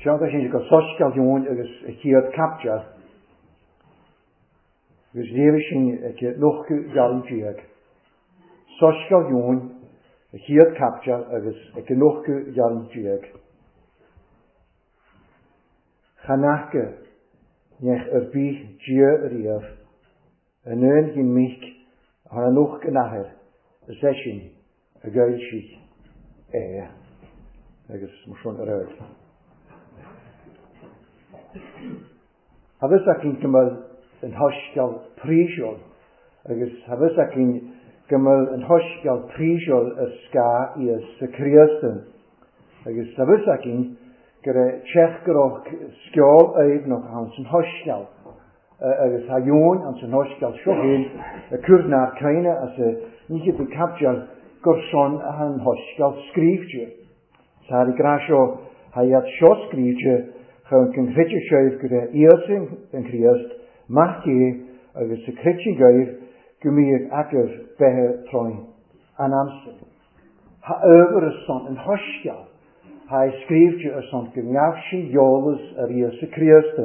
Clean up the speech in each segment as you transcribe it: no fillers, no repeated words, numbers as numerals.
Seo sin go Soiscéal Eoin agus a chéad caibidil agus léifidh sin ag nócha gearradh déag. Soiscéal Eoin, a chéad caibidil agus ag nócha gearradh déag. Chan fhaca neach ar bith Dia riamh, an aon ghin mic a thar an ucht an Athair, is eisean a d'fhoilsigh é agus mar sin ar aghaidh. Tá fhios againn go mbeidh an Soiscéal príosúil agus tá fhios againn go mbeidh an Soiscéal príosúil ar scáth Íosa Críost agus tá fhios againn go raibh teach go raibh sceol aoibhneach ann san Soiscéal. Agus tá Eoin ann san Soiscéal seo féin ag cur nár caoine as a níche do caibdeal gur son a an Soiscéal scríbhte. Sa ag rá seo, tá iad seo scríbhte chun go gcreidfidh sibh go raibh Íosa an Críost, Mac Dé, agus a chreidfidh agaibh go mbíodh agaibh beatha tráth an ansin. Tá ábhar ar son an Soiscéil, tá é scríbhte ar son go ngabh sin eolas ar Íosa Críost.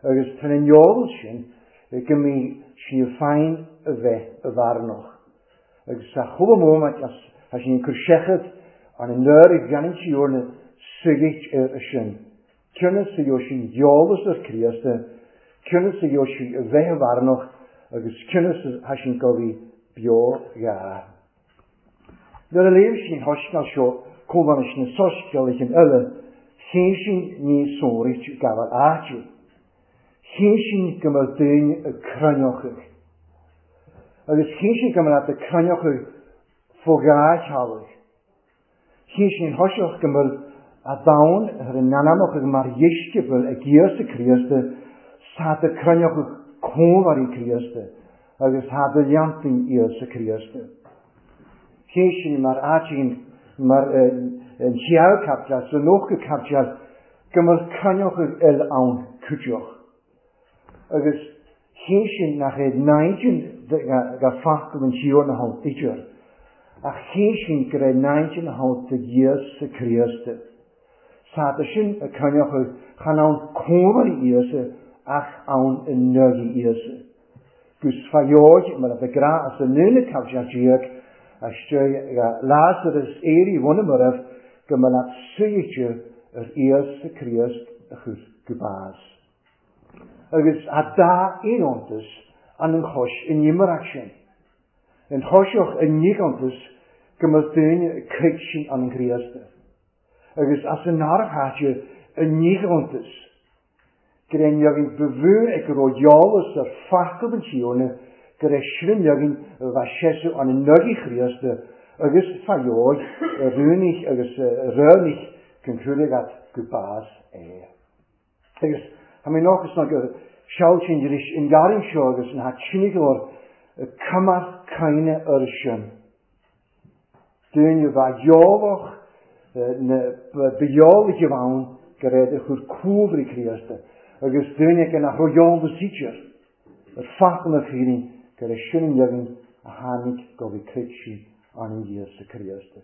Agus tá an eolas sin go mbí sinn féin a bheith i bhfearnach. Agus sa chuile móiméid as tá sinn ag cur seicheamh an an nuair a dhéanann Tiarna suigheadh air sin. Cionn is a gheobhaidh sinn eolas ar Chríost, cionn is a gheobhaidh sinn a bheith i bhfearnach agus cionn is atá sinn go bhí beo gha. Nuair a léim sinn an Soiscéal seo comh leis na Soiscéalaithe eile, chinn sinn ní sonraí gabháil áite. Chinn sinn go mbeadh daoine ag cruinneochadh. Agus chinn sinn go mbeadh ag cruinneochadh fó dhá theaghlaigh. Chinn sinn thoiseach go mbeadh a domhan ar a n-anamachadh mar dheisceabail ag Íosa Críost sa do cruinneochadh cónairí Críost agus tá do leantaí Íosa Críost. Chinn sinn mar áitíonn mar an chéad caibidil sa nócha caibidil go mbeadh cruinneochadh eile ann cuideach. Agus chinn sinn nach é naimhdean ga focal an Tiarna ann idir, ach chinn sinn go raibh naimhdean ann do Íosa Críost. Sa sin a coinneochadh chan ann cónairí Íosa ach ann i ndugaí Íosa. Gus fa dheoidh mar a bheadh grá as an ndúna caibidil déag istigh ga Lazarus éirí bhun marbh go mba leat suidhte ar Íosa Críost a chur go bás. Agus a dá iontas an an chois in imearach sin. An thoiseach i n-iontas go mba daoine crích sin an an Chríost. Agus as an nárbh áite i n-iontas go raibh leagan ba mhó ag go raibh eolas ar focal an Tiarna go raibh sin leagan a bheadh seasamh an an Chríost agus fa dheoidh a rúnaigh agus a ráinnigh chun cúlaigh go bás é. Agus tá mé nách is ná go seal sin arís an garraí seo agus an hat sinigh cuma caoine ar sin. Duine bheadh eolach na ba eolach ann go raibh a chur cúlraí Críosta agus duine go nach raibh eolas idir ar focal na fírinne go raibh sin an leagan a tháinig go bhí creid an Íosa Críosta.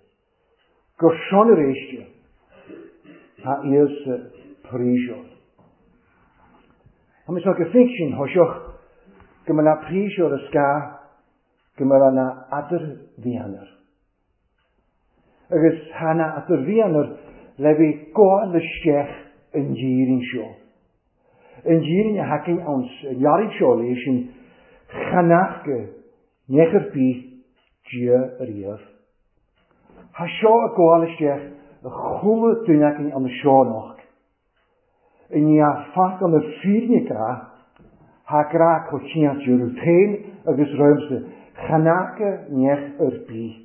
Gur sin arís tá Íosa príosúil. Tá mé seo go fic sin thoiseach go mba na príosúil is gá go mba na eadar-mhianair. Agus tá na eadar-mhianair le bheith gabháil isteach an dhírín seo. An dhírín a thacaíonn ann sa learraidh seo leis sin chanach go neach ar bith Dia riamh. Tá seo ag gabháil isteach i chuile duine againn an seo anocht. I ndiaidh focal na fírinne grá, tá grá coitianta romhat féin agus romhamsa, chan fhaca neach ar bith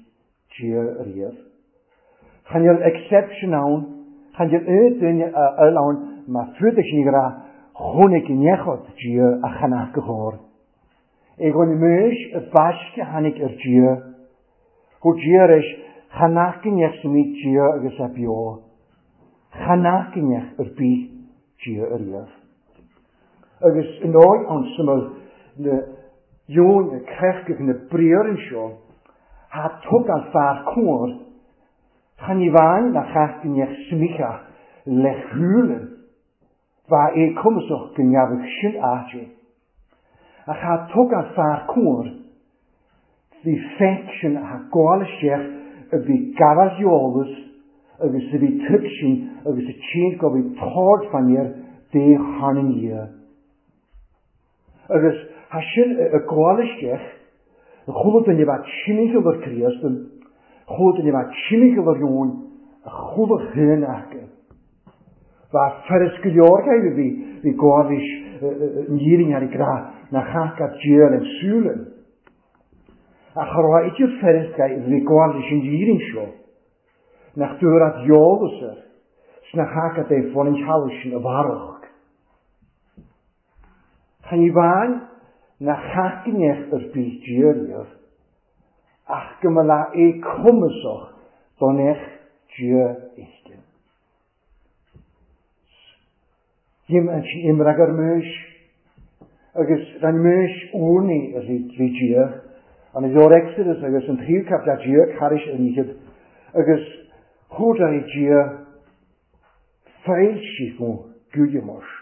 Dia riamh. Chan fhuil exception ann, chan fhuil aon duine a fhuil ann má fuair sin grá, chonaic neach Dia a chan fhaca chóir. É go mbeidh a baisce tháinig ar Dia, Go Dia leis, chan fhaca neach sa mí Dia agus a beo. Chan fhaca neach ar bith Dia ariamh. Agus i ndóigh ann suimil na dheoin na creachadh na briathra seo, thá tug an fear cóir, chan ní bhain na chac neach smicha, le shúile, bheadh é cumasach go ngeabhadh sin áite. Ach cha dtug an fear cóir bhí feic sin a gabháil isteach a bhí gabháil eolas agus a bhí tuigsin agus a tséin go bhí tord fan air dé thar na ndiaidh. Agus thá sin ag gabháil isteach, chuala duine bheith timcheall ar Críost, chuala duine bheith timcheall ar Eoin, chuala féin aca. Bheadh fearas go leor acu a bhí ag gabháil leis an fhírinne ar a grá nach fhaca Dia lena súile. Ach cha raibh idir fearas a bhí ag gabháil leis an fhírinne seo, nach dtabharfadh eolas air, 's nach fhaca é fán an teallach sin a mhairfeadh. Chan ní bhain nach chaithneach ar bith Dia riamh, ach go mba lá é cumasach don each Dia éigin. Dhim an sin imreag ar Maois, agus rinne Maois urnaí ar rí Dia, an leabhar Exodus agus an tríú caibidil Dia thairis an oíche, agus chuardaigh Dia foilsigh go gcuideoidh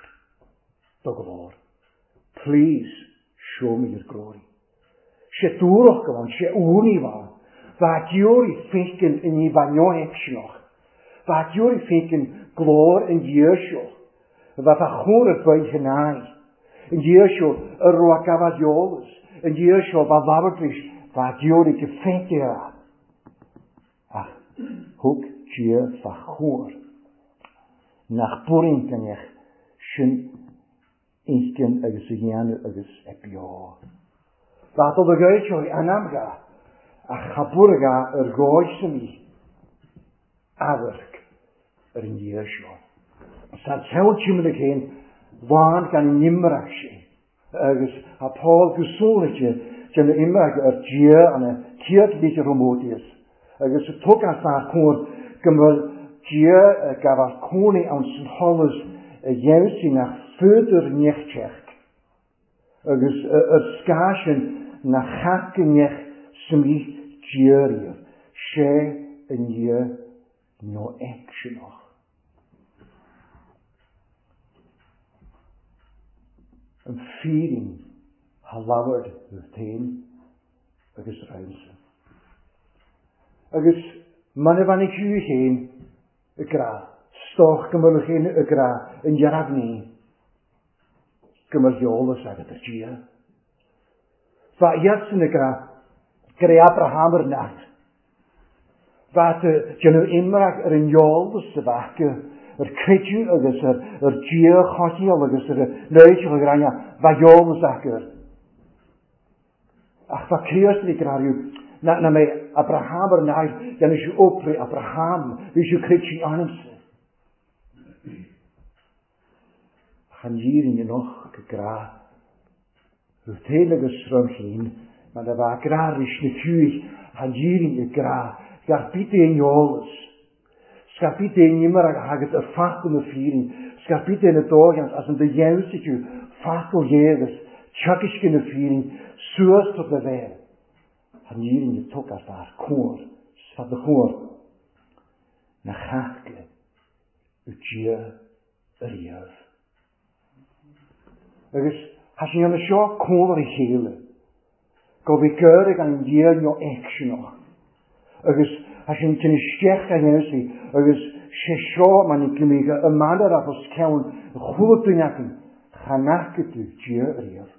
do ghlór. Please show me your glory. Sé dúrach go bhfuil sé urnaí bhán. Bha deoraí féiceann i ní bha neohéicseach. Bha deoraí féiceann glór an Dia seo. Bha fa chóir ar bith in aghaidh. An Dia seo a raibh a gabháil eolas. An Dia seo bha labhairt bha deoraí go féiceann a. Ach thug Dia fa chóir nach buaireann sin inchinn agus a dhéanamh agus a beo. Bha dul ag éiteoirí anamdha ach cha buaireadh ar dhóigh san í amharc ar an Dia seo. Sa cheann timire chéin bhain gan an imreach sin. Agus tá Paul go sonraithe déanamh imreach ar Dia an chéad litir Thimóteus, agus thug an fear cóir go mbeadh Dia ag gabháil cónaí ann san sholas a dheimhnigh nach féidir neach agus ar scáth sin nach theacht neach smith Dia riamh, sé i ndiaidh nó aicseanach. An fírinne ha labhair tú féin agus roimse. Agus mana bheannaigh thú féin i grá, stoc go mbeadh féin i grá an dhearg-ní, go mbeadh eolas agat ar Dhia. Ba iadsan i grá, go raibh Abraham ar neart. Bheadh déanamh imreach ar an eolas a bheadh acu ar creideamh agus ar Dhia chothaitheach agus ar a léiteach a ghráinne, bheadh eolas acu air. Ach bheadh Críost ag grá na mbeidh Abraham ar neart, dhéanfaidh sé obair Abraham, bhí sé creidte ionamsa. Ach an fhírinne noch go grá Thú féin agus srom féin, mar a bheadh grá leis na fiúigh, an fhírinne grá, gar bith aon eolas. Scar bith aon imir a thagas ar focal na fírinne, scar bith aon dóigheannas as an do dheimhnigh tú focal Dhé agus teagaisce na fírinne suas do do bhéal. An fhírinne tugtha fear cóir, 's fada chóir na chaca Dia ariamh. Agus thá sé ina seo cónair a chéile, go bhí cur ag an Dia nó aicseanach. Agus thá sé tinn isteach a dhéanamh agus sé seo mar ní go mbíodh a manner as os ceann chuala duine acu, chan fhaca tú Dia ariamh.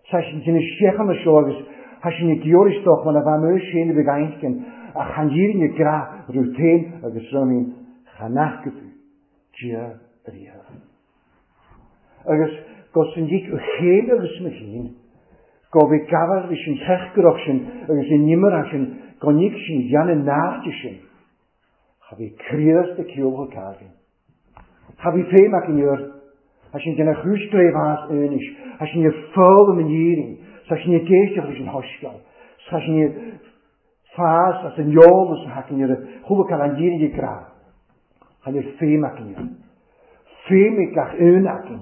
Tá sin tinn isteach ina seo agus thá sin ag iarraidh isteach mar a bheadh mé féin a bheith aintgin ach chan fhírinne grá raibh féin agus raibh chan fhaca tú Dia ariamh. Agus go san díc ó chéin agus mo chéin, go bhí gabháil leis an cheachtarach sin agus an imeartha sin go ndíc sin dhéanamh náirte sin. Cha bhí Críost ag ceol go. Cha bhí féim acu air. Tá sin déanamh chúis glémheas anois. Tá sin ag foghlaim an fhírinne. Tá sin ag éisteacht leis an shoiscéal. Tá sin ag fás as an eolas a thagann ar chuala cael an fhírinne grá. Tá níor féim acu air. Féim ag gach aon acu.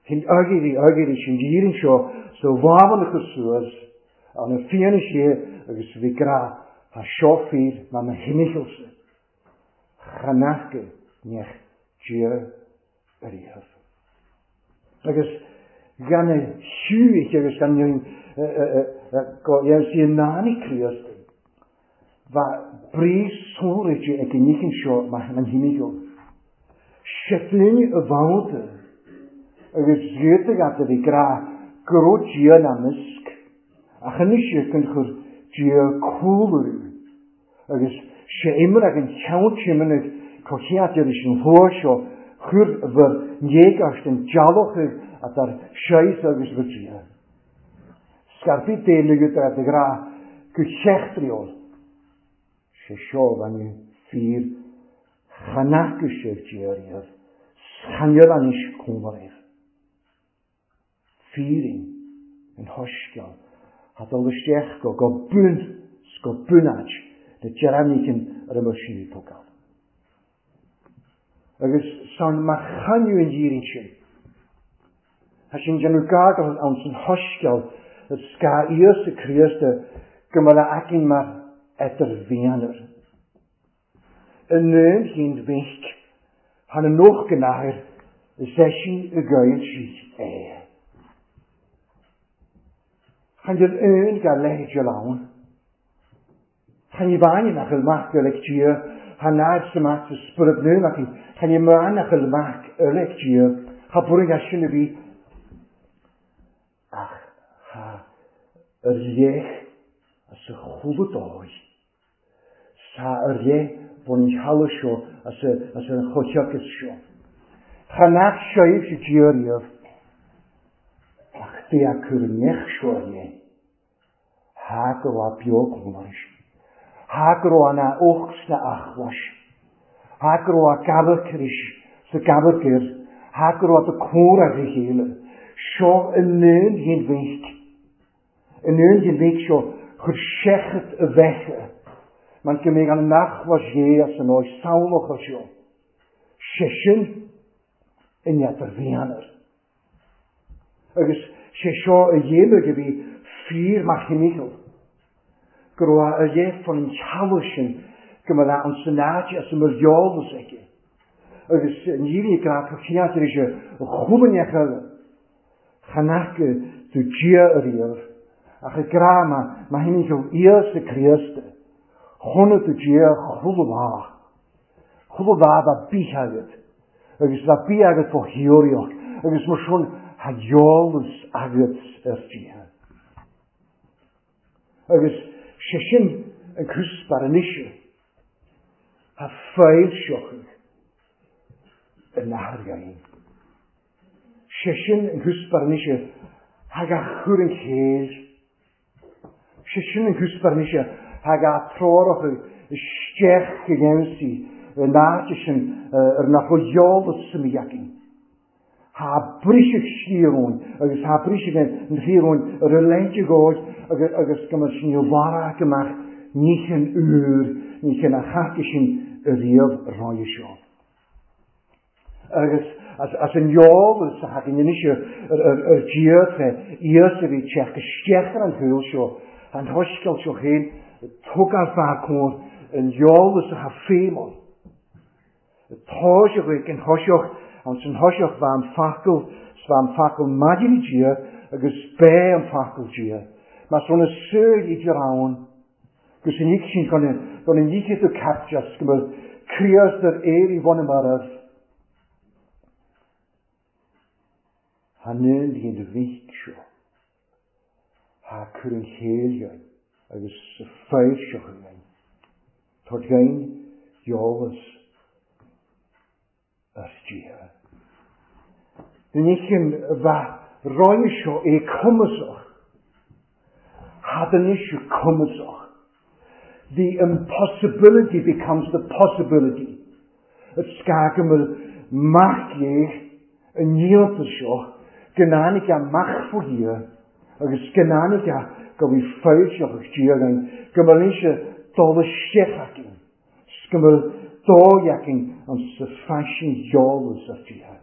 Sin aguirí aguirí sin fhírinne seo sa bhábhan a chur suas an fianaise agus bhí grá. Tá seo fíor mar na hinnichealsa. Chan fhaca. neach Dia ariamh. Agus gan a shiúich agus gan go dhéanamh sí in ann Críost, bheadh brí sonraithe ag an níochán seo mar an himigheal. Sé duine a bhabhta agus ghiota gat a bhí grá go raibh Dia ina measc, ach anois an chur Dia cúl orthu. Agus sé imir ag an cheann timimid comhchead leis an bhfuath seo chuir bhur n-éagast an dealbhóidh atá ar seis agus bhur Dia. Scaipfidh Dé ligeadh de ghrá go heachtraíoil. Sé seo bhainne fíor chanaca sibh Dia riamh, scannail anois cónaraibh. Fíoraon an shoiscéal a dul isteach go go bun 's go bunáit na deireanaíchin ar a mbeadh sin ag tógáil. Agus san má chainneadh an dhírín sin, tá sin déanamh gar ann san shoiscéal is gá Íosa Críost go mbeadh a aicinn mar eadar-mhéanar. I ndún Chinn Mhic, thar na nócha nathair, is eisean a d'fhoilsigh é. Chan fhuil aon dá leithéid ann. Chan ní bhaineann ach il mac uilig Dia, tha náir sa mac sa spiorad nua ach chan ní mbaineann ach il mac uilig Dia, cha bhfuair an sin a bhí ach tha ar léith as a chúla dóigh. Sa ar leith bhun an teallaigh seo as an chomhthiocas seo. Cha nach seoimh sa Dia riamh ach bhí a cur i ndeich seo ar leith. Thá go raibh beo cónaris. Thá go raibh ana ucht sna achmhais. Thá go raibh a gabhar sa gabhar gir. Thá go raibh do cóir a chéile. Seo i ndún Chinn Mhic. In aon ghníomh seo chuir seicheamh a bheithe, mar go mbeidh an nachmhas dhé as an áit samhlacha seo, sé sin i ngeata mhéanair. Agus sé seo a dhéanamh a bhí fíor mar thimcheall, go raibh a leith fan an teallach sin go mbeadh an san áit as a mbeadh eolas aici. Agus ní bhíonn grá go cineál tar éis a chúlainneach eile. Chan fhaca tú Dia ariamh, ach ag grá má tháinig ó Íosa Críost, chonaic tú Dia chuile lá. Chuile lá bheadh bith agat, agus bheadh bith agat fá theoraíocht, agus mar sin tá eolas agat ar Dhia. Agus sé sin an cuspóir anois, tá foilseochaidh in athair againn. Sé sin an cúspar anois thag a chur an chéill. Sé sin an cúspar anois thag a treoracha isteach go gheansaí in áit sin ar nach bhfuil eolas sa mí againn. Thá briseadh siar uainn agus thá briseadh an thiar uainn ar a leithéid de dhóigh agus go mbeadh sin i bhfad amach ní hin úr, ní hin a chaca sin ariamh roimhe seo. Agus as an eolas a thagann anois ar Dhia tré Íosa a bhí ag teacht isteach ar an shaol seo, an shoiscéal seo féin, tugadh fear cóir an eolas atá feidhm ann. Tá sé chuig an thoiseach, an san thoiseach bheith an focal, 's bheith an focal maidir le Dia agus b'é an focal Dia. Más rud na súil idir ann, Gus an oíche sin chun an oíche do capteas go mbeadh Críost ar éirí bhun a marbh. Tha ndún den mhic seo. Tha cur an chéill againn agus sa foilseach againn. Tá againn eolas ar Dhia. Ní chin bheith roimhe seo é cumasach. Had an issue cumasach. The impossibility becomes the possibility. It scagamar mac é an níonta seo go n-áinig amach fó Dhia agus go n-áinig go bhí foilseach ag Dia againn go mbeadh sé dul isteach againn. 'S go mbeadh dóigh againn an sa faisean eolas ar Dhia.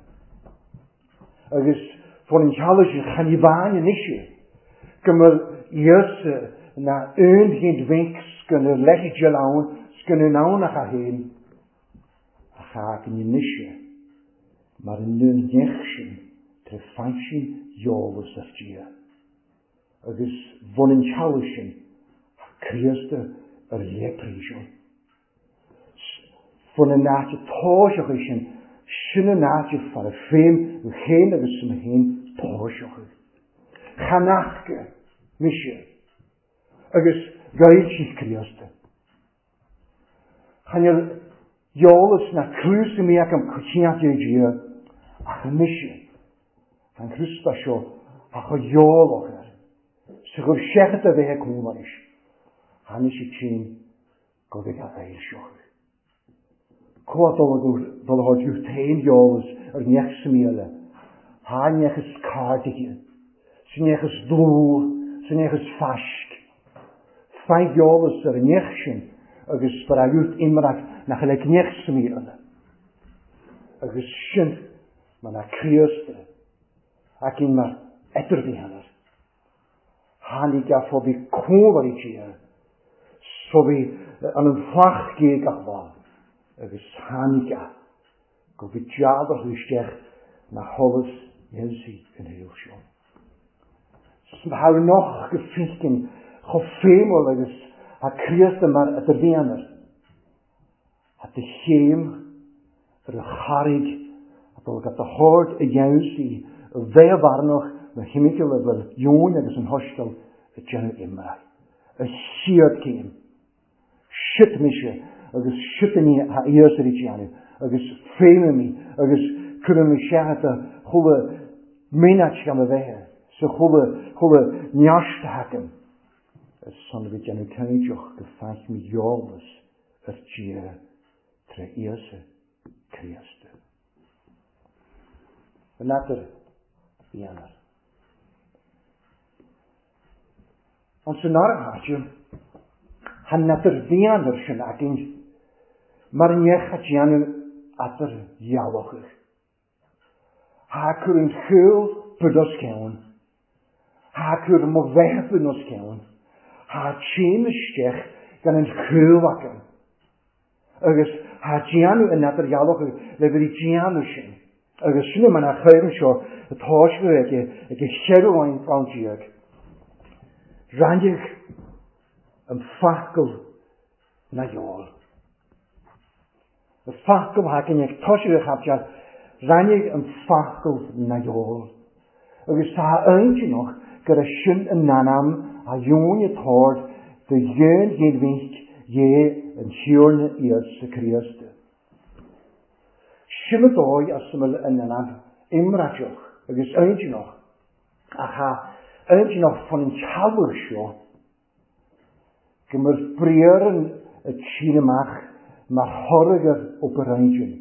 Agus fón an teallaigh sin chan ní bhain anois é, go mbeadh Íosa ná aon ghéint mhinc 's go na leithéid eile ann 's go na ann ach a fhéin. Cha againn anois mar an neach sin tré faisin eolas ar Dia. Agus bhun an teaghlaigh sin tá Críost ar leipríseal. Bhun an áit tóiseach sin, sin an áit fara féin, féin agus mo féin tóiseach. Chanachca mise agus gailsigh Críost. Chan eolas na cruas mí agam coitianta Dia ach mise an Críosta seo a cho eolach air. Sa gur seachad a bheith cúlais. Tháinig sé tinn go bhfuil a fhoilseochadh. Comha dul a thabhairt féin eolas ar neach sa míle. Thá neach is cairde, sa neach is dlúth, sa neach is faisc. Faigh eolas ar an neach sin agus far a yút imrach nach le gneach sa míle. Agus sin mar na Críosta ac in mar eiterbhíonar. Tháinig a fó bhí cómhairí Dia, so bhí an an flach gach lá, agus tháinig a go bhí deadarthu isteach na sholas Iesu in shaol seo. Thar noch go fícin chomh féimúil agus a Críosta mar eiterbhíonar. Hat de chéim ar a charraig a dul go do hord a dhéansaí a bheith bharnach na himiceal a bhfuil dheoin agus an hoisceal a déanamh imreach. A chéad céim. Sit mise agus sit ní a fhios ar déanamh agus féimimí agus cuirim seachata chuile mínat gan a bheith sa chuile chuile neart hacam. Is son bhí déanamh cainteach go feich mi eolas ar Dia tre Íosa Críosta. An eatar dhéanar. An san áite, han eatar dhéanar sin againn, mar neach a déanamh eatar dhealachach. Ha cur an chúl bud os ceann. Ha cur mo bheith bud os ceann. Ha tséim isteach gan an chúl acu. Agus ha déanamh an eatar dhealachach le bhí déanamh sin. Agus sin man a chuireann seo atá sé aige ag a cheithre an déag. Rannig an facal na eol. Y facal hacain ag toisiú a chapteal, rannig an facal na eol. Agus tá aontinach gur a sin an nanam a dheoin a tord de dheon ghéadmhíc dhé an siúrna iad sa Críosta. Sin a dóigh as bhfuil an nanam imreiteach agus aontinach ach ha aontinach fan an teaghlach seo go mbeadh briathar a trín amach mar thoradh ar obair aontin.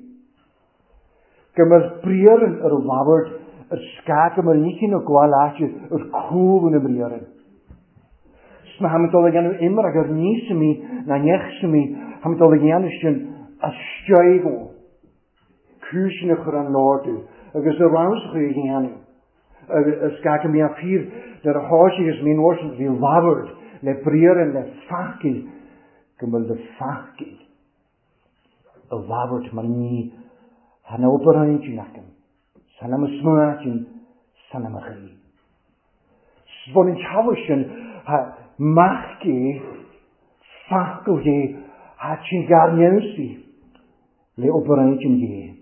Go mbeadh briathar ar a labhairt ar scáth go mbeadh níchin ó gabháil áite ar cúl na mbriathar. Sna ha dul a dhéanamh imreach ar níos mí na neach mí ha dul a dhéanamh sin a steigó. Cúiseanna a chur an lordú agus a ramschaí a dhéanamh. Agus scáth go mbíonn fíor nuair a tháinig agus mín orsin bhí labhairt le briathar le facaí go bhfuil le facaí a labhairt mar ní han obair aontin agam. San am smuatin san am a chaoi. Bhun an teaghlach sin ha mac gé facal gé ha sin gar neamhsaí le obair aontin gé.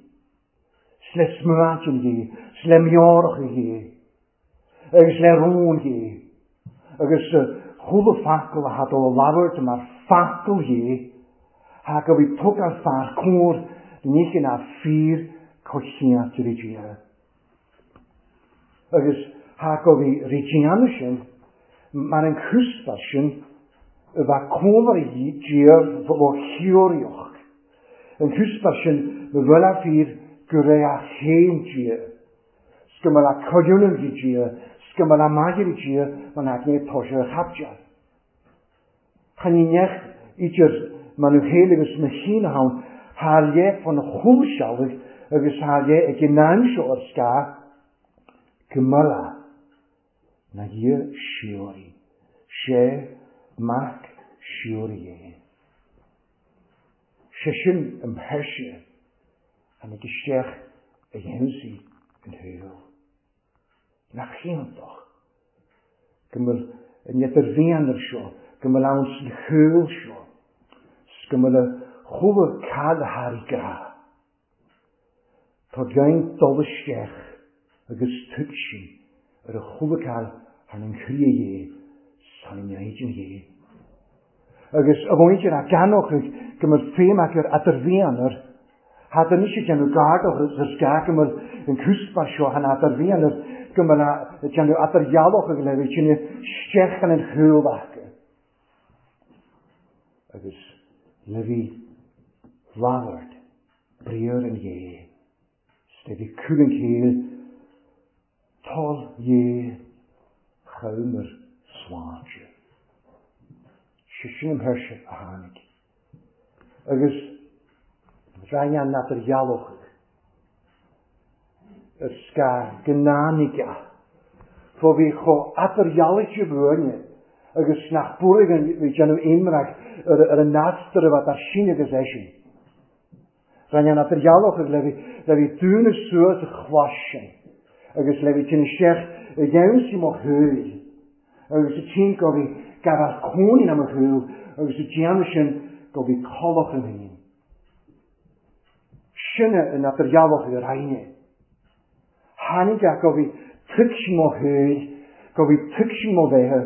Le smuatin gé, le meorach gé, agus le rún gé, agus chuile facal a had ó labhairt mar facal gé, ha go bhí tug an fear cór níchin a fíor cochiant rí Dia. Agus ha go bhí rí sin, mar an cúspar sin, a bheith cómhar Dia ó chiúrioch. An cúspar sin, ma bhfuil a fíor go raibh a chéim Dia. 'S go mbeadh a coiriúnam bhí Dia, 's go mbeadh a maigir Dia, mar nach ní tá a chapteal. Chan ní neach idir man nhw héil agus na chéin ann, thar le fan chúlsealaigh agus thar le ag an am seo ar scáth go mbeadh na dhia siúraí. Sé mac siúraí é. Sé sin an pheirse. Tháinig isteach a gheansaí an shaol. Nach iontach go bhfuil an idirbhianar seo, go bhfuil ann san shaol seo, 's go bhfuil a chuala cad a tharraing grá. Tá gain dul isteach agus tuigsin ar a chuala cad thar an chroí dhé 's thar an éigin dhé. Agus a mhuintir a gceannóchaidh go mbeadh feidhm acu ar eadarbhianar, thad anois ag déanamh gar do is gá go mbeadh an cúspar seo an eadarbhianar go mbeadh ag déanamh eadardhealóchaidh le bheith tine isteach in an chúl acu. Agus le bhí labhairt briathar an ghé, 's le bhí cúl an chéill Toil Dhé chumar sláinte. Sé sin an thuirse a tháinig. Agus rinne an eadardhealóchadh ar scar go n-áinig a. Fó bhí chomh eadardhealaithe buaine agus nach buartha bhí déanamh imreach ar an eastar a bheadh ar sin agus eisean. Rinne an eadardhealóchadh le bhí dúnadh suas a chlais sin agus le bhí tinn isteach i gheansaí mo shúil agus a tinn go bhí gabhar cónaí na mo shúil agus a déanamh sin go bhí collach an féin. Sin an eadardhealóchadh a rinne. Tháinig a go bhí tuigsin mo shúil, go bhí tuigsin mo bheatha,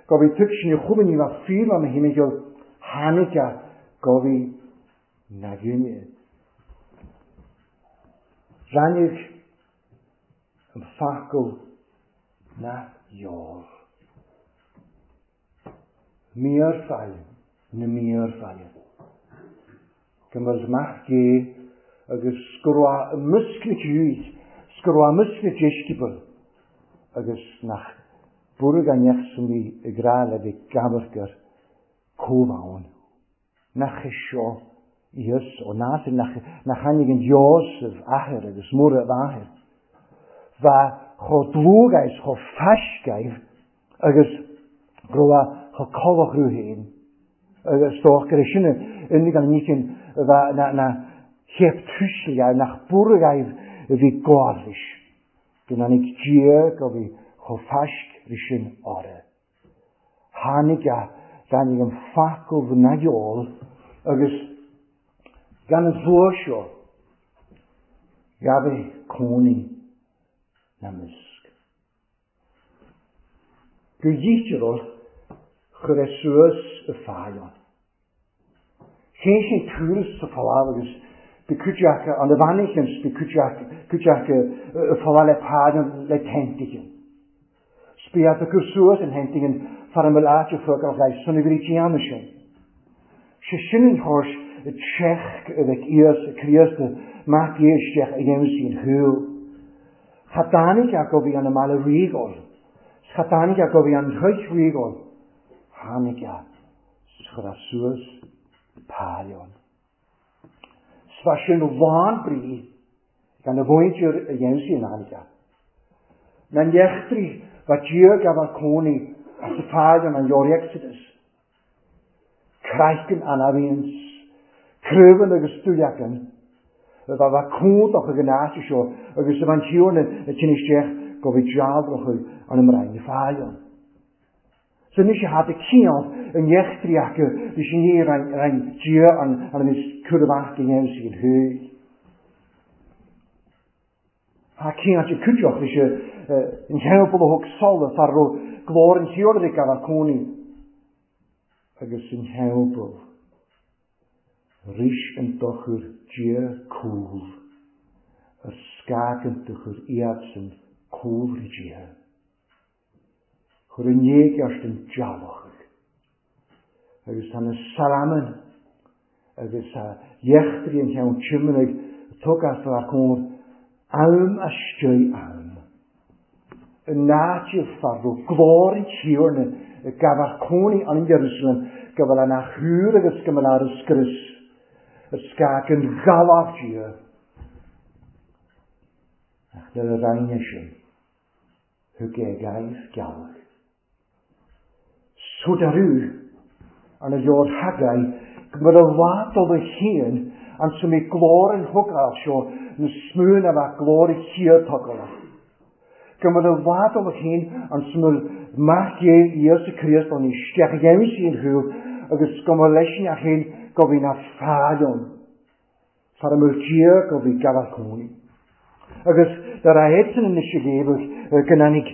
go bhí tuigsin a chuala ní raibh fíor le mo thimcheall, tháinig a go bhí na gine. Ráinig an focal na gheall. Míorfaille na míorfaille. Go mbeadh mac Dé agus go raibh i measc na dtúid, 's go raibh i measc na deisceabal agus nach buartha gan neach san bhí ag rá le bheith ag amharc ar comh-ann. Nach é seo Íosa ó Nasaret, nach tháinig an Iósaf athair agus Muire a mháthair? Bheadh chomh dlúth is chomh faiscthe agus go raibh chomh colach orthu féin. Agus dócha gur é sin an an ní sin bheadh na chéad tuisle nach buartha a bhí gabháil leis. Go n-tháinig Dia go bhí chomh faiscthe sin orthu. Tháinig a, tháinig an focal na gheall agus gan an bhua seo, ghabh cónaí na measc. Go dhícheall chuir é suas i fáil ann. Sheinn sé turas sa phaláv agus bhí cuid acu an a bheannaigh bhí cuid acu cuid acu a phaláv le páideann le teintighin. 'S bhí iad a cur suas in theintighin fara mbeadh áit a fuagáil ghaibh san a bhí déanamh sin. Sé sin an chóis a tseach a bheadh Íosa Críost mac Dé isteach a dhéanamh sí an shúil. Cha dtáinig acu bhí an a mbaile ríogáil. 'S cha dtáinig acu bhí an chuid ríogáil. Tháinig a. 'S chuir suas pailliún. 'S bha sin lán brí gan a mhuintir a dhéanamh sí in airge. Na n-eachtraí bha Dia gabháil cónaí as a phailliún an leabhar Exodus. Craiceann an abhainn 's craobhann agus dúleacan a bha bha cumhdach ag an áit seo agus a bha an Tiarna a tinn isteach go bhí dealrach an mbraon phailliún. 'S anois a tháinig ciall an eachtraí acu leis an ní raibh Dia an a bhí cur amach go dhéanamh sí an shúil. Tá ciall de cuideachta leis an theampall a thug solas fear a raibh glór an Thiarna ag gabháil cónaí agus an theampall. Rís an dochar Dia cúl ar scag an dochar iadsan cúl rí Dia. Chuir an éigeart an dealbhach agus tá na salamain agus tá eachtraí an cheann tiománaigh a tug as fear cóir am istigh ann. In áit fear raibh glór an Tiarna ag gabháil cónaí an Iarúsailéim go bhfuil an athchúr agus go bhfuil ar a scrios a scag an ghalach Dia. Ach nuair a roinne sin, Thug é gaibh gealach. Sodarú arna leor Haggai go mbeadh a lá dul a chéin Ansa mbeidh glór an thogáil seo na smúin a bheadh glór a chéad togála. Go mbeadh i bhfad ó chéin ansa mbeadh Mac Dé Íosa Críost ann isteach i gheimhsí an chúil agus go mbeadh leis an chéin go bhí na fáil ann. Far a mbeadh Dia go bhí gabhal cónaí. Agus do raibh iadsan anois ag éabhadh go dtáinig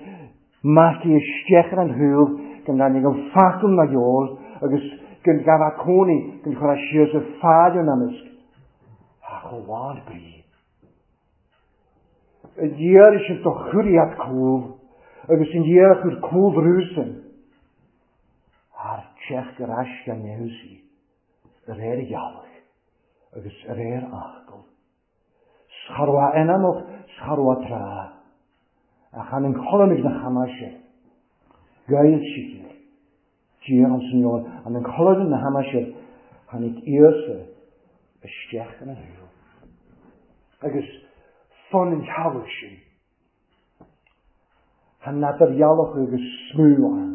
Mac Dé isteach ar an chúil, go dtáinig an focal na gheol agus go gabhadh cónaí go chuirfeadh siar sa fáil ina measc. Ach chomh lán brí. An iarraidh sin do chuir iad cúl agus an iarraidh chuir cúl rúsan. Thar teach ar ais gan neamhsí. Ar réir a ghealach agus ar réir a fhocal. 'S cha raibh a anamach 's cha raibh a tráth, ach an cholainn na hamaise. Ghail siad Dia an Señor an cholainn na hamaise tháinig Íosa isteach ina shaol. Agus fonn an theaghlaigh sin. Tá n'fheadar ghealach agus smú ann.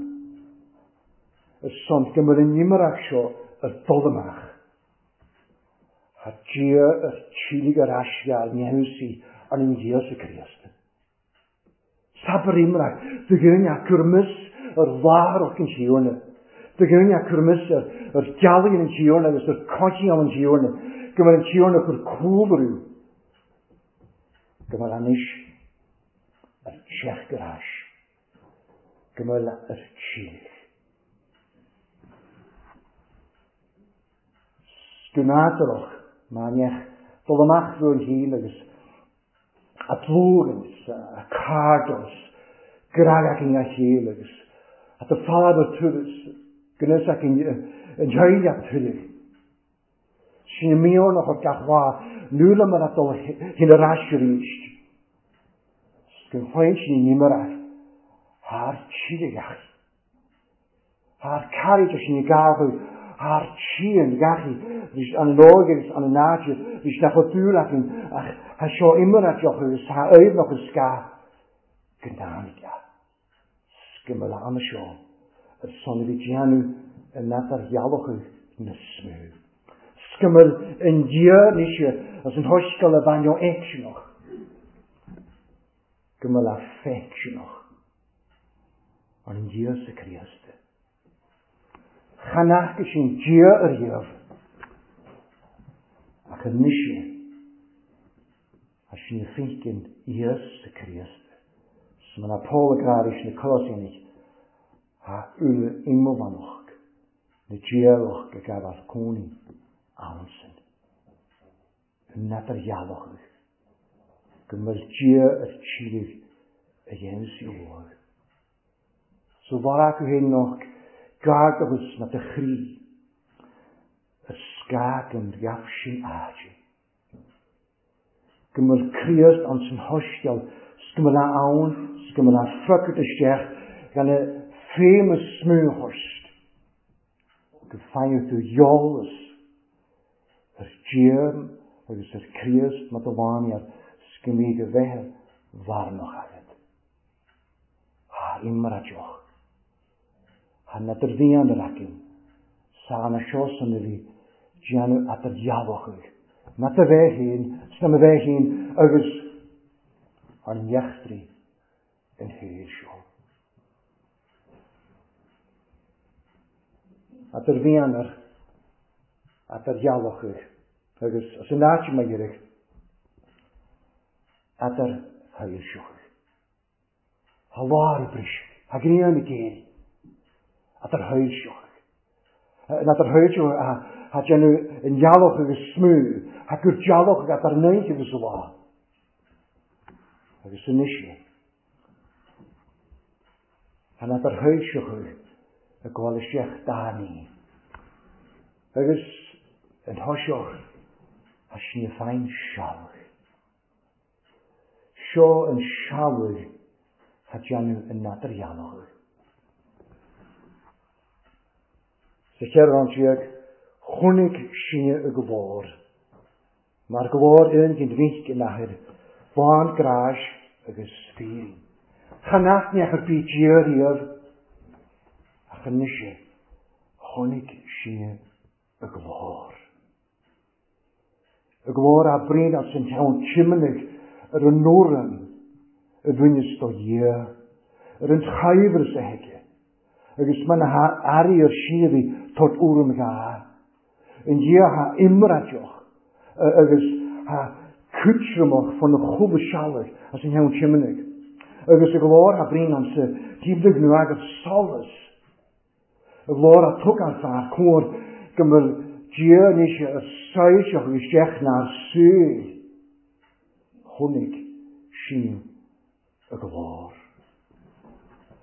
Ar son go mbeadh an imearach seo ar dul amach. Tá Dia ar tílig ar ais ghearr neamhsaí an an Íosa Críost. Sabar imreach do dhuine a cur mios ar láithreach an Thiarna. Do dhuine a cur mios ar gealaigh an Thiarna agus ar coincheall an Thiarna, go mbeadh an Tiarna chur cúlrú. Go mbeadh anois ar teacht ar ais. Go mbeadh ar tír. Go nádúrach, má neach dul amach rúin féin agus a dlúthans, a cardans, gragakin a chéile agus a do fáda turas, gnéasakin an teaghlach tuilleadh. Sin i mionach ar gach lá, nuala mar a dul hin ar ais arís. Go bhfaigheann sin in imearach thar tíre. Thar carraig sin i gabhadh thar tír gachi, bhí an óg agus an náide, bhí nach ó dúil againn ach thá seo imearach deoch agus thá aoibhneach an scáth go ndáinig a. Scimil ama seo ar son a bhí déanamh in eadar ghealachadh na smú. Scimil an Dia anois as an thoisceal a bhain ó fheicseanach go mbeadh a feicseanach ar an Íosa Críost. Chan fhaca sin Dia ariamh ach anois Tá sin i féicin Íosa Críost. 'S ma na Pól ag rá leis na Colosainigh, Tá uile iomlánach na diabhach ag gabháil cónaí ann sin. An eadar-ghealach go mbeadh Dia ar tír a dhéanamh sí uaidh. So bhar acu féin nach gar do na do chroí a scag an gheaf sin áite. Go mbeadh Críost ann san shoiscéal, 's go mbeadh ann, 's go mbeadh friochadh isteach gan a famous smoothhorst. Go bhfaigheadh tú eolas ar Dhia agus ar Chríost mar do bhánaíocht, 's go mbíodh a bheithe bharnach agat. Thá imra deoch. Thá n'fheadar bhíonn ar aicinn. Sá na seo san a bhí déanamh eadar dhealbhach. Na do bheith féin, 's na mo bheith féin agus ár n-eachtraí an shaoil seo. Eadar bhíonn ar eadar dhealbhach agus as an áit má iarraidh eadar shoilseach. Tá lár ag briseadh. Tá grian ag éirí. Eadar shoilseach. An eadar shoilseach a déanamh an ghealach agus smú. Tá gur dealach eadar an oíche agus an lá. Agus anois é. Tá an eadar shoilseach ag gabháil isteach dá ní. Agus an thoiseach tá sin féin sealbh. Seo an seabhac a déanamh in eadardhealach. Sa cheithre rang déag, chonaic sinne a glór, mar glór aon den mhic in athair, lán gráis agus fírinne. Chan aithneach ar bith Dia riamh, ach anois chonaic sinne a glór. Y glór a brín as an cheann tiomanaigh ar an urraim a bhaineas do Dhia, ar an tsaibhreas a thuige, agus mar na h-airí ar síoraí tabhairt urraim dhá. An Dia thá iomráiteach agus thá cúitreamach fá na chúla seallaigh as an cheann tiomanaigh, agus a ghlór thá brín ansa díbhligh nó agat solas. A ghlór a thug an fear cóir go mbeadh Dia anois ar soilseach isteach nár súil. Chonaic sin a ghlór.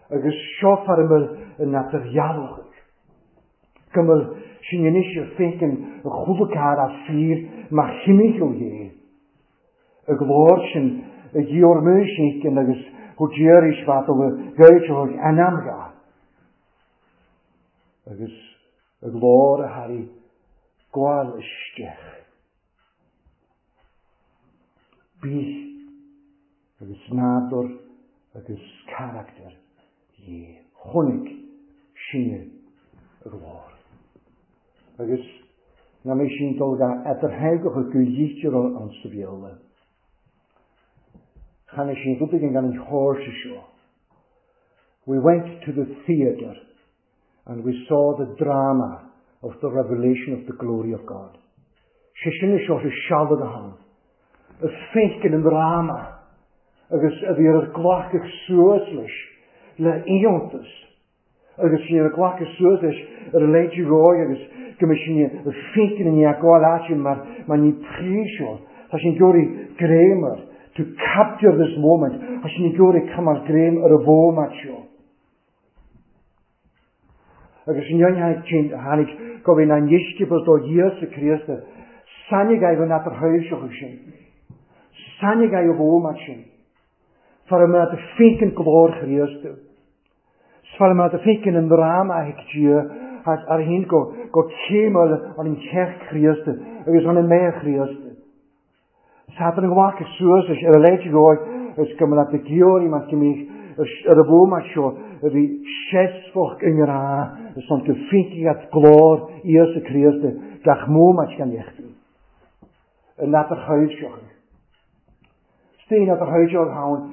Agus seo fear a mbeadh in eadar-dhealach go mbeadh sin anois ar féiceann a chuala cara a fíor mar chimícheall dhé. A ghlór sin a ghiormú sin agus go d'iarraidh fad a ghairtear anamdha. Agus a ghlór a tharraing gabháil isteach. Bíth agus nádúr agus carachtar Dhé. Chonaic sinne a ghlór. Agus ná mé sin dul ga eadartheangacha go dhítear an sa Bhéarla. Chan sin rud éigin gan an chóirse seo. We went to the theatre and we saw the drama of the revelation of the glory of God. Sé sin seo sé sealad a han. Y féiceann an dráma agus a bhí ar glacadh suas leis le iontas. Agus sin ar glacadh suas leis ar a leithéid ráig agus go mbeidh sin y féiceann an ghabháil áite mar ní príseol. Tá sin gheoraí gréimar to capture this moment. Tá sin gheoraí cumar gréim ar a bhómat seo. Agus sin tháinig go bhí na ndisciples do Íosa Críosta. Sainig é an atar thuirseach sin. Sainig é a bhómat sin. Far a a féiceann glór Chríosta. Far a féiceann an dráma a Dia ar hín go céimeal an an cheach Chríosta agus an an méa Chríosta. Satan an ghlacadh suas ar a leithéid dhóigh is go mbeadh na geoirí mar go mbíodh ar a bhómat seo a bhí seasmhach i ngrá is an go féiceann at glór Íosa Críosta gach mómat gan éachtaí. An atar thuirseach. Steen atar thuirseach ann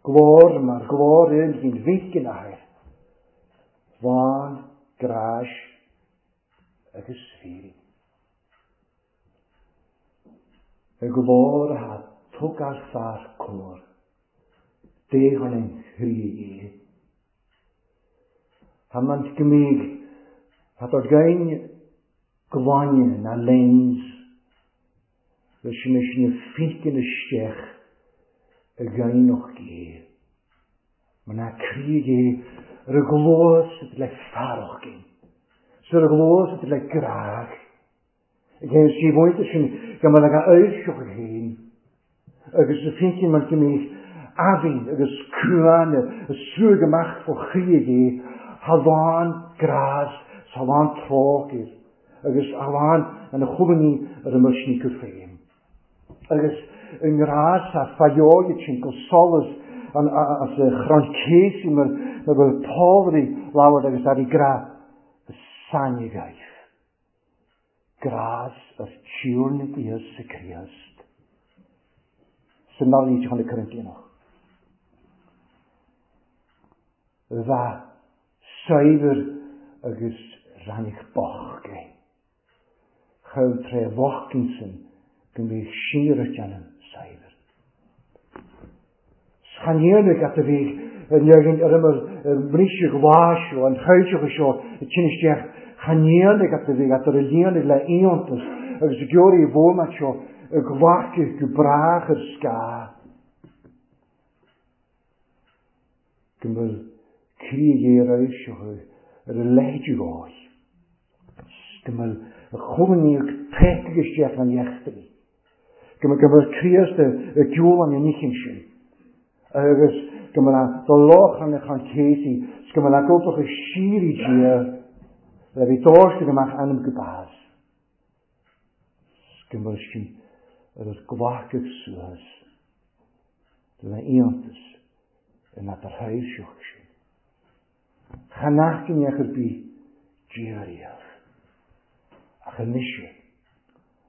glór mar glór in gin bhícin air. Lán, gráis agus féirín. Y glór a tug ar fear cór. Déan an chrí é. Ha mant gymig, ha dod gain gwaine na lens, leis sin is na ffícin isteach y gain o'ch gé. Ma na crí gé ar y glós yd le ffaroch gyn. So ar y glós yd le graag. Ag si bwynt sin gan ma ag eirsioch ag hyn. Agus y ffícin ma'n gymig afin agus cúan y sŵg ymach fo chrí gé halán gras halán trógir agus halán an y chwlni ar y myrsni gwffeim. Agus yng ngras a ffaioed sy'n go solas an as y chroncesi mae'r fel Paul lawr agus ar ei gra y sanigaeth. Gras yr tiwrn Iesu Christ. Sy'n nol i chon y Corinthianach. Dda saibr agus rannig bochge. Chau tre fochginsen go mbíodh siar déanamh saibhir. Schanhéarnach at a bhí an ar imar bríse gláisio an chuideach seo y tinisteach chanhéarnach at a bhí at ar a líonach le iontas agus y georí bhómat seo y glacadh go brach ar sca. Go bhfuil crí seo ar a leithéid gáil. Go bhfuil y chwlni pecig isteach an iechtaí. Go bhfuil Críost y giúl an nichin sin. Agus go bhfuil do lochan chan céisi, go bhfuil a gobach y síri Dia le bhí dóiste go amach anam go bás. Go bhfuil sin ar yr glacadh suas le iontas yn adar thuirseach sin. Chanachgin eich ar bí Dia riamh. Ach anois,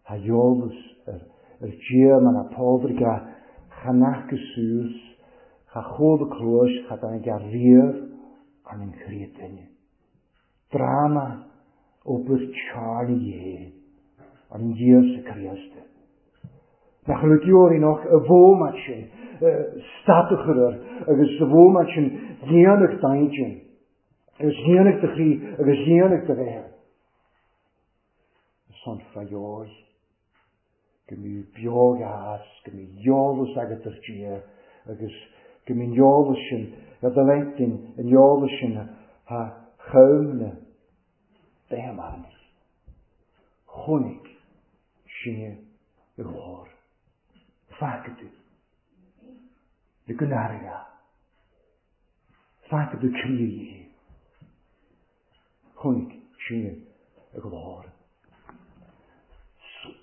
tá eolas ar Dhia mar a Pádraig a cha nac suas, cha chuala cluais, cha dtáinig a riamh an an chroí duine. Dráma obair Charlie Dhé, an Íosa Críost. Nach raibh geoirí nach a bhómat sin stad a chur air agus a bhómat sin dhéanamh daingean agus dhéanamh do chroí agus dhéanamh do bhéal. Son fadheoidh go mbíodh beoghas, go mbíodh eolas agat ar Dhia agus go mbíonn eolas sin ar do leitinn, an eolas sin ha chomhna béamánis. Chonaic sinne i lár. Faca tú. Le go n-airgeadh. Faca tú croí Dhé. Chonaic sinne i lár.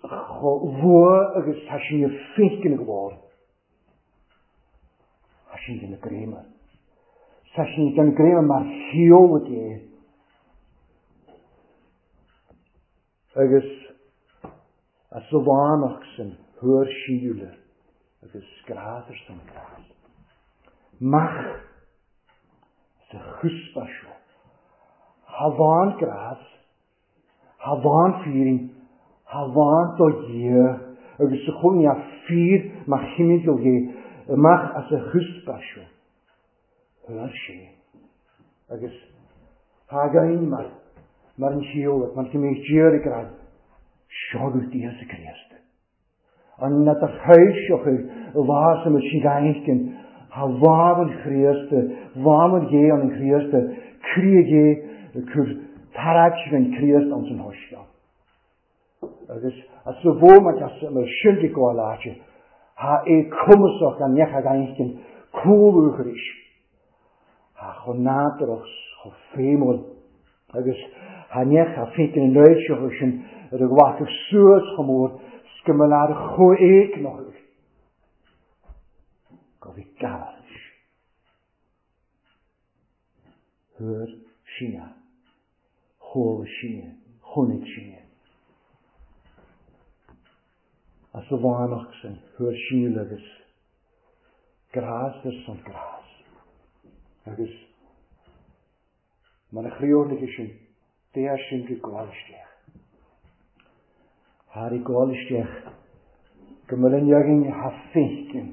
Chomh luath agus tá sinne féiceann i lár. Tá sinne ina gréama. Tá sinne gan gréama mar sheoladh Dé. Agus as a bhánach san thuar síle agus grás ar son grás. Mach sa chuspa seo. Tha bhán grás, tha bhán fírin, tha bhán do Dhia agus sa chónaí a fíor mar chimigil Dhé amach as a chuspa seo. Thuar sé. Agus tá againn mar mar an sheoladh, mar go mbeidh Dia ag rá, Seo agat Íosa Críost. An na do thaoiseach i bhfás a mbeidh sí gainchinn, thá lámh an Chríost, lámh an Dhé an Chríost, croí Dhé ag cur tarraigte an Chríost ann san shoiscéal. Agus as sa bhómat as mar sin de gabháil áite, thá é cumasach an neach a gainchinn cúlú arís. Thá chomh nádúrach 's chomh feidhmiúil agus thá neach a féiceann an fhoilseachadh sin ar a ghlacadh suas chomh mór 's go mba lear chomh éigneach go bhí gabháil. Thuar sinne, chuala sinne, chonaic sinne. As a bhánach san thuar sinne agus grás ar son grás. Agus mar a chríochnaigh sin, d'fhéach sin go gabháil isteach. Thar ag gabháil isteach go mbeadh an againn tha féiceann,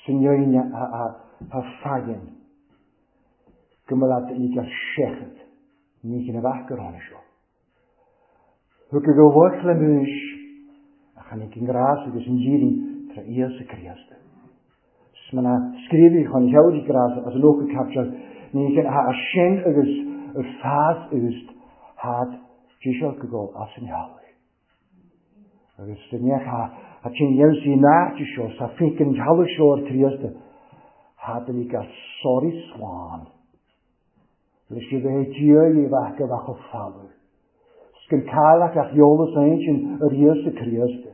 san againn tha faigheann, go mbeadh ag ar seachad, ní chin a bheadh gur tháinig seo. Thug go bhfuath le múis a chonaic an grás agus an dhírín tra Íosa Críost. 'S muna scríobhaí chun cheabhraí grás as an óca caipteal ní chin a sin agus ar fás úst had díseal go gol as an theaghlaigh. Agus sa neach a tsin dheimhsí an áit seo sa féic an theaghlaigh seo ar Críost had an ag sorry slán. Leis a bheith Dia i bheith go bheadh falú. 'S gan cailleach ach eolas aon ar Íosa Críost.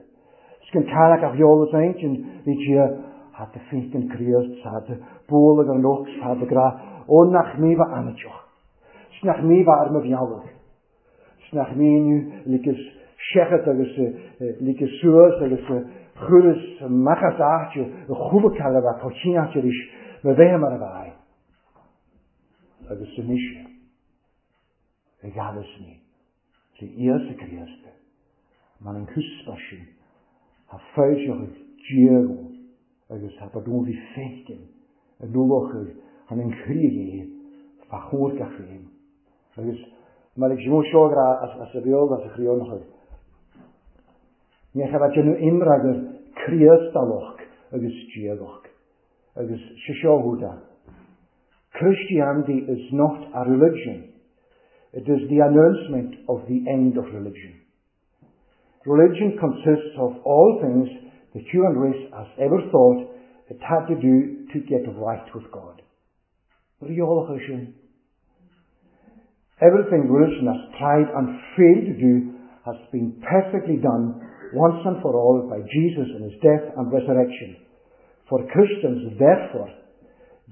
'S gan cailleach ach eolas aon bhí Dia had de féic an Críost had de bualadh ar an ox had de grá ó nach míomha amaiteach. 'S nach míomha ar mo bhealach. 'S nach míniú ligeas seachat agus ligeas suas agus chuireas amach as áit a chuala cailleach a bheith chomh cineáilte arís mo bheith mar a bheidh. Agus anois a ghabhas mé trí Íosa Críost mar an cuspa sin a foilseoidh Dia agus a bhí féiceann a nulochaidh an an chroí é fá chomhair gach aon. Agus mar ag Simón seo as a bheol as a chroí Ní cha bheith déanamh imreagar Críostalach agus Diagach. Agus sé seo húda. Christianity is not a religion. It is the announcement of the end of religion. Religion consists of all things the human race has ever thought it had to do to get right with God. Sin. Everything religion has tried and failed to do has been perfectly done once and for all by Jesus in his death and resurrection. For Christians, therefore,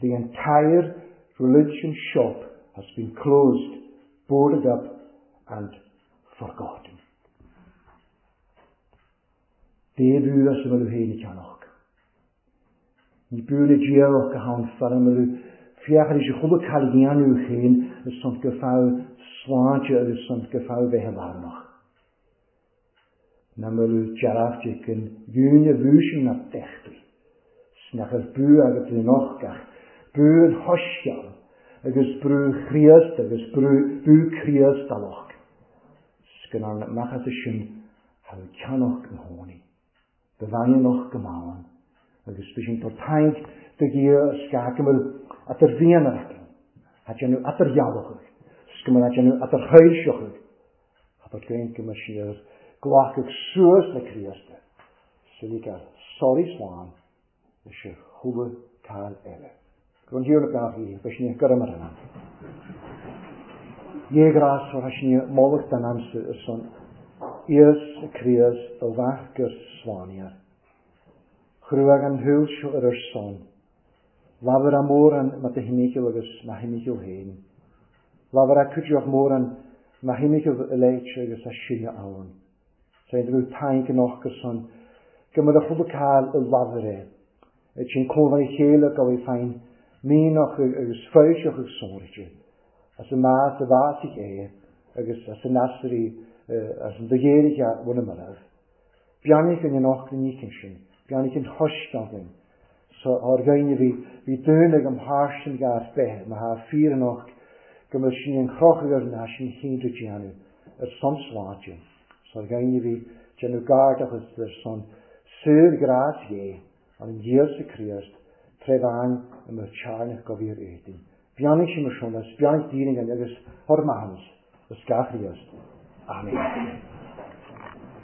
the entire religion shop has been closed, boarded up, and forgotten. Dé bhú as a mbeadh féin ag ceannach. Ní bú na diabhal go hann fear a mbeadh féachaint ar chuile cail a dhéanamh féin ar son go feadh sláinte agus son go feadh bheith i lárnach. Na mbeadh dearfach ag an gcúinne bhú sin na dteachtaí. 'S nach raibh bú agat in och ach bú an shoiscéil agus brú Chríost agus brú Críostalach. 'S go n-amach as sin tha ceannach na hónaí. Ba bhean och go maith agus bhí sin tor taing do Dhia a scáth go mbeadh atar mhian acu, a déanamh atar ghealach, 's go mbeadh a déanamh atar shoilseach, a bheadh go mbeadh siad glacadh suas le Críost, suiligh sorry slán leis an chuile cáil eile. Go an Thiarna beannacht í, beidh sin go mar an. Dhé grás for sin moladh den amsa ar son Íos Críost do mhac gur slánaíar. Chruaigh an shúil seo ar ar son. Labhair a mórán ma do thimcheall agus ma thimcheall féin. Labhair a cuideoch mórán ma thimcheall a léit agus a sinne ann. Saint go taing an och gur son go mbeadh a chuile cáil i labhair é. Et sin cómhair a chéile go bhfuil féin míneach agus foilseach agus sonraithe. As an meas a bhásaigh é agus as an easraí as an do ghéirigh a bhun a marbh. Beannaigh an och na nícinn sin, beannaigh an choisceann so ár gcaoine bhí bhí dúin ag an thairsean gar beith má thá fíor an och go mbeadh sin an chroch ar na sin chéad déanamh ar son sláinte. So ár gcaoine bhí déanamh gairdachas ar son saor grás Dhé an Íosa Críost tré bhean i mo tearnach go bhíor éadain. Beannaigh sin mar sin, beannaigh daoine agus thor maitheas is gach Ríost. Amen.